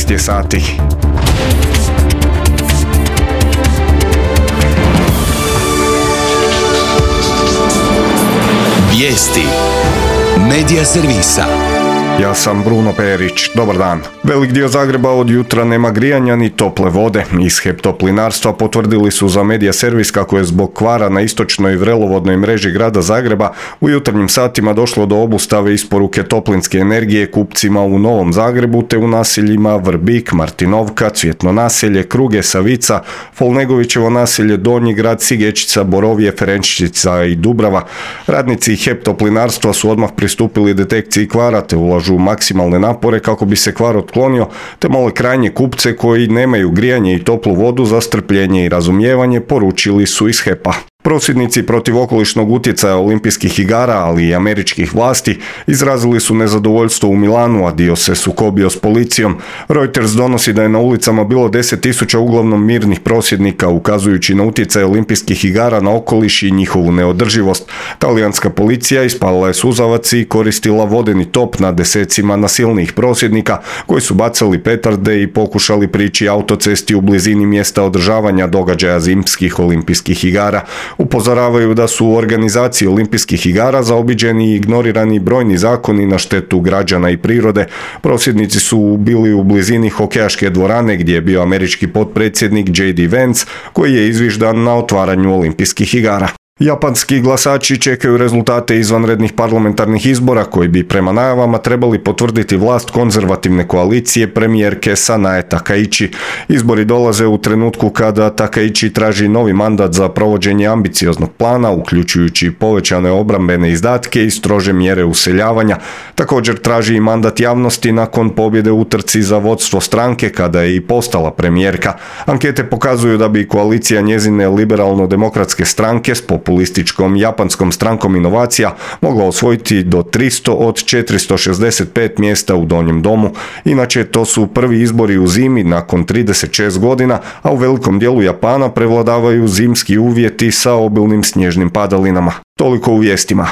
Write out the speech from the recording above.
14 je sati. Vijesti Medija servisa. Ja sam Bruno Perić, dobar dan. Velik dio Zagreba od jutra nema grijanja ni tople vode. Iz HEP Toplinarstva potvrdili su za Medija servis kako je zbog kvara na istočnoj vrelovodnoj mreži grada Zagreba u jutarnjim satima došlo do obustave isporuke toplinske energije kupcima u Novom Zagrebu te u naseljima Vrbik, Martinovka, Cvjetno naselje, Kruge, Savica, Folnegovićevo naselje, Donji grad, Sigečica, Borovje, Ferenčica i Dubrava. Radnici HEP Toplinarstva su odmah pristupili detekciji kvara te ulažu maksimalne napore kako bi se kvar otklonio, te mole krajnje kupce koji nemaju grijanje i toplu vodu za strpljenje i razumijevanje, poručili su iz HEP-a. Prosvjednici protiv okolišnog utjecaja olimpijskih igara, ali i američkih vlasti, izrazili su nezadovoljstvo u Milanu, a dio se sukobio s policijom. Reuters donosi da je na ulicama bilo 10.000 uglavnom mirnih prosvjednika, ukazujući na utjecaj olimpijskih igara na okoliš i njihovu neodrživost. Talijanska policija ispalila je suzavac i koristila vodeni top na desecima nasilnijih prosvjednika koji su bacali petarde i pokušali prići autocesti u blizini mjesta održavanja događaja zimskih olimpijskih igara. Upozoravaju da su u organizaciji olimpijskih igara zaobiđeni i ignorirani brojni zakoni na štetu građana i prirode. Prosvjednici su bili u blizini hokejaške dvorane gdje je bio američki potpredsjednik J.D. Vance koji je izviždan na otvaranju olimpijskih igara. Japanski glasači čekaju rezultate izvanrednih parlamentarnih izbora koji bi prema najavama trebali potvrditi vlast konzervativne koalicije premijerke Sanae Takaichi. Izbori dolaze u trenutku kada Takaichi traži novi mandat za provođenje ambicioznog plana, uključujući povećane obrambene izdatke i strože mjere useljavanja. Također traži i mandat javnosti nakon pobjede u utrci za vodstvo stranke kada je i postala premijerka. Ankete pokazuju da bi koalicija njezine liberalno-demokratske stranke s populističkom japanskom strankom inovacija mogla osvojiti do 300 od 465 mjesta u Donjem domu. Inače, to su prvi izbori u zimi nakon 36 godina, a u velikom dijelu Japana prevladavaju zimski uvjeti sa obilnim snježnim padalinama. Toliko u vijestima.